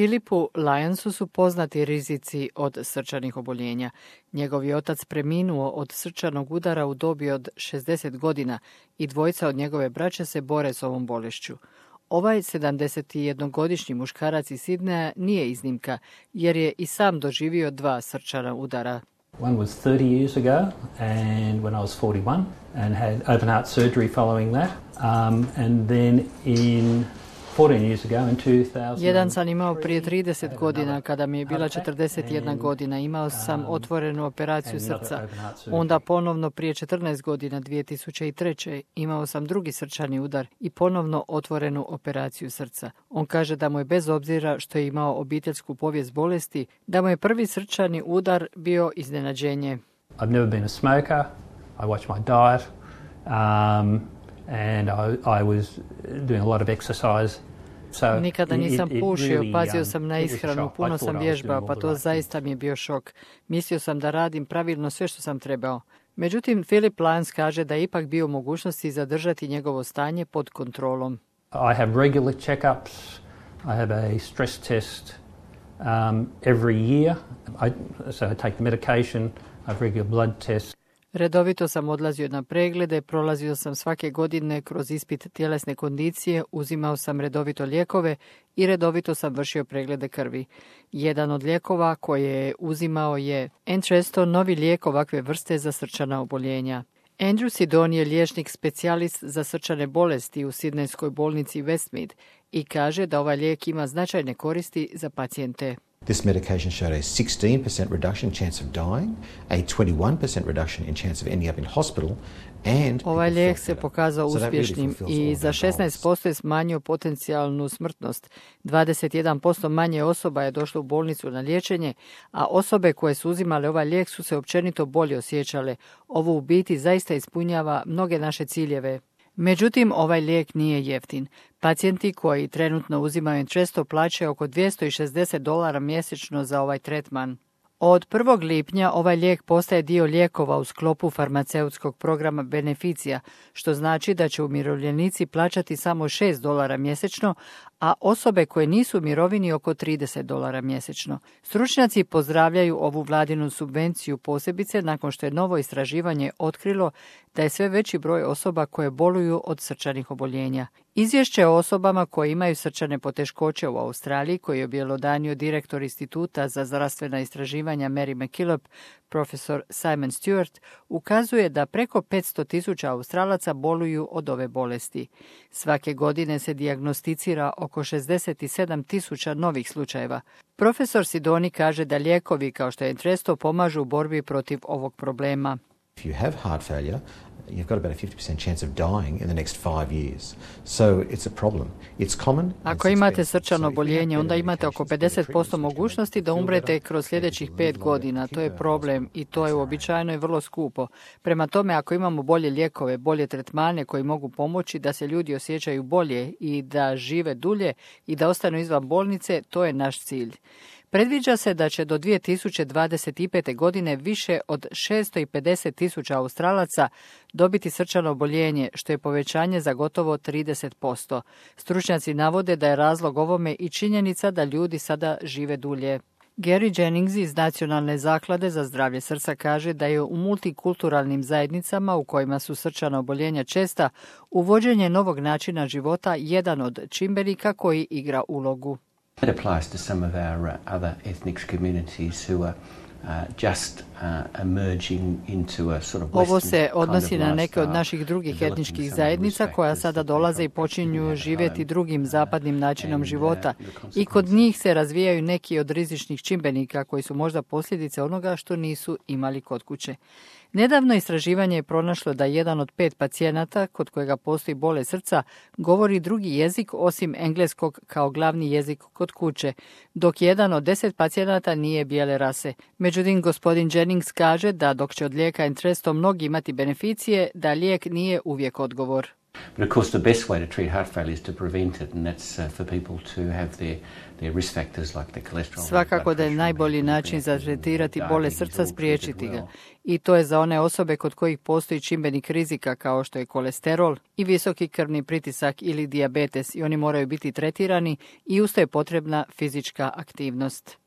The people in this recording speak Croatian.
Philipu Lyonsu su poznati rizici od srčanih oboljenja. Njegov je otac preminuo od srčanog udara u dobi od 60 godina i dvojica od njegove braće se bore s ovom bolešću. Ovaj 71-godišnji muškarac iz Sidneja nije iznimka, jer je i sam doživio 2 srčana udara. One was 30 years ago, and when I was 41, and had open heart surgery following that. And then in 14 years ago, in 2000. Jedan sam imao prije 30 godina kada mi je bila 41 godina. Imao sam otvorenu operaciju srca. Onda ponovno prije 14 godina, 2003. imao sam drugi srčani udar i ponovno otvorenu operaciju srca. On kaže da mu je bez obzira što je imao obiteljsku povijest bolesti, da mu je prvi srčani udar bio iznenađenje. I've never been a smoker. I watch my diet. And I was doing a lot of exercise. So nikada nisam pušio, pazio sam na ishranu, puno sam vježbao, pa to zaista mi je bio šok. Mislio sam da radim pravilno sve što sam trebao. Međutim, Philip Lyons kaže da je ipak bio u mogućnosti zadržati njegovo stanje pod kontrolom. I have regular check-ups. I have a stress test every year. So I take the medication. I have regular blood tests. Redovito sam odlazio na preglede, prolazio sam svake godine kroz ispit tjelesne kondicije, uzimao sam redovito lijekove i redovito sam vršio preglede krvi. Jedan od lijekova koje je uzimao je Entresto, novi lijek ovakve vrste za srčana oboljenja. Andrew Sidon je liječnik specijalist za srčane bolesti u sidnejskoj bolnici Westmead i kaže da ovaj lijek ima značajne koristi za pacijente. This medication showed a 16% reduction in chance of dying, a 21% reduction in chance of ending up in hospital, and ovaj lijek se pokazao uspješnim i za 16% je smanjio potencijalnu smrtnost. 21% manje osoba je došlo u bolnicu na liječenje, a osobe koje su uzimale ovaj lijek su se općenito bolje osjećale. Ovo u biti zaista ispunjava mnoge naše ciljeve. Međutim, ovaj lijek nije jeftin. Pacijenti koji trenutno uzimaju Entresto plaćaju oko $260 mjesečno za ovaj tretman. Od 1. lipnja ovaj lijek postaje dio lijekova u sklopu farmaceutskog programa Beneficija, što znači da će umirovljenici plaćati samo $6 mjesečno, a osobe koje nisu u mirovini oko $30 mjesečno. Stručnjaci pozdravljaju ovu vladinu subvenciju posebice nakon što je novo istraživanje otkrilo da je sve veći broj osoba koje boluju od srčanih oboljenja. Izvješće o osobama koje imaju srčane poteškoće u Australiji, koji je objelodanio direktor Instituta za zdravstvena istraživanja Mary MacKillop, profesor Simon Stewart, ukazuje da preko 500,000 Australaca boluju od ove bolesti. Svake godine se dijagnosticira oko 67,000 novih slučajeva. Profesor Sidoni kaže da lijekovi kao što je Entresto pomažu u borbi protiv ovog problema. If you have heart failure, you've got about a 50% chance of dying in the next 5 years. So it's a problem. It's common. Ako imate srčano oboljenje, onda imate oko 50% mogućnosti da umrete kroz sljedećih 5 godina. To je problem i to je uobičajeno i vrlo skupo. Prema tome, ako imamo bolje lijekove, bolje tretmane koji mogu pomoći da se ljudi osjećaju bolje i da žive dulje i da ostanu izvan bolnice, to je naš cilj. Predviđa se da će do 2025. godine više od 650,000 Australaca dobiti srčano oboljenje, što je povećanje za gotovo 30%. Stručnjaci navode da je razlog ovome i činjenica da ljudi sada žive dulje. Gary Jennings iz Nacionalne zaklade za zdravlje srca kaže da je u multikulturalnim zajednicama u kojima su srčana oboljenja česta, uvođenje novog načina života jedan od čimbenika koji igra ulogu. It applies to some of our other ethnic communities who are just emerging into a sort of Ovo se odnosi na neke od naših drugih etničkih zajednica koja sada dolaze i počinju živjeti drugim zapadnim načinom života i kod njih se razvijaju neki od rizičnih čimbenika koji su možda posljedice onoga što nisu imali kod kuće. Nedavno istraživanje je pronašlo da 1 od 5 pacijenata kod kojega postoji bolest srca govori drugi jezik osim engleskog kao glavni jezik kod kuće, dok 1 od 10 pacijenata nije bijele rase. Međutim, gospodin Jennings kaže da dok će od lijeka Entresto mnogi imati beneficije, da lijek nije uvijek odgovor. But of course the best way to treat heart failure is to prevent it, and that's for people to have Svakako da je najbolji način za tretirati bolest srca spriječiti ga. I to je za one osobe kod kojih postoji čimbenik rizika kao što je kolesterol i visoki krvni pritisak ili dijabetes i oni moraju biti tretirani i uz to je potrebna fizička aktivnost.